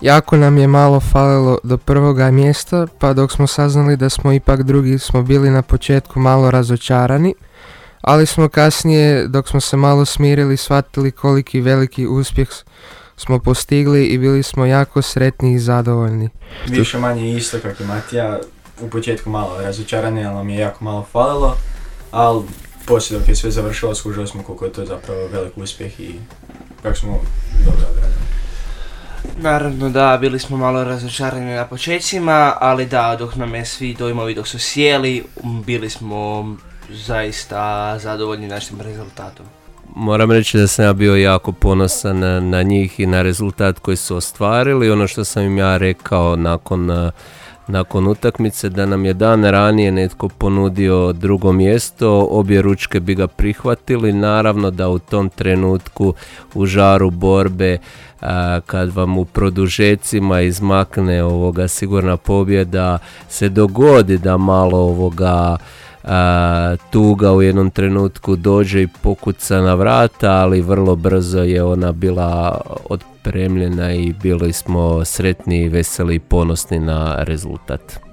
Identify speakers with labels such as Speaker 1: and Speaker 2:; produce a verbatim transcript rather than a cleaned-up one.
Speaker 1: jako nam je malo falilo do prvoga mjesta, pa dok smo saznali da smo ipak drugi smo bili na početku malo razočarani, ali smo kasnije, dok smo se malo smirili, shvatili koliki veliki uspjeh smo postigli i bili smo jako sretni i zadovoljni.
Speaker 2: Više manje isto kako i Matija, u početku malo razočarani, ali nam je jako malo falilo, ali poslije dok je sve završilo skužili smo koliko je to zapravo velik uspjeh i kako smo dobro odradili.
Speaker 3: Naravno da, bili smo malo razočarani na početcima, ali da, dok nam je svi dojmovi dok su sjeli, bili smo zaista zadovoljni našim rezultatom.
Speaker 4: Moram reći da sam ja bio jako ponosan na, na njih i na rezultat koji su ostvarili. Ono što sam im ja rekao nakon, nakon utakmice, da nam je dan ranije netko ponudio drugo mjesto, obje ručke bi ga prihvatili. Naravno da u tom trenutku u žaru borbe, a, kad vam u produžecima izmakne ovoga sigurna pobjeda, se dogodi da malo ovoga a, tuga u jednom trenutku dođe i pokuca na vrata, ali vrlo brzo je ona bila otpremljena i bili smo sretni, veseli i ponosni na rezultat.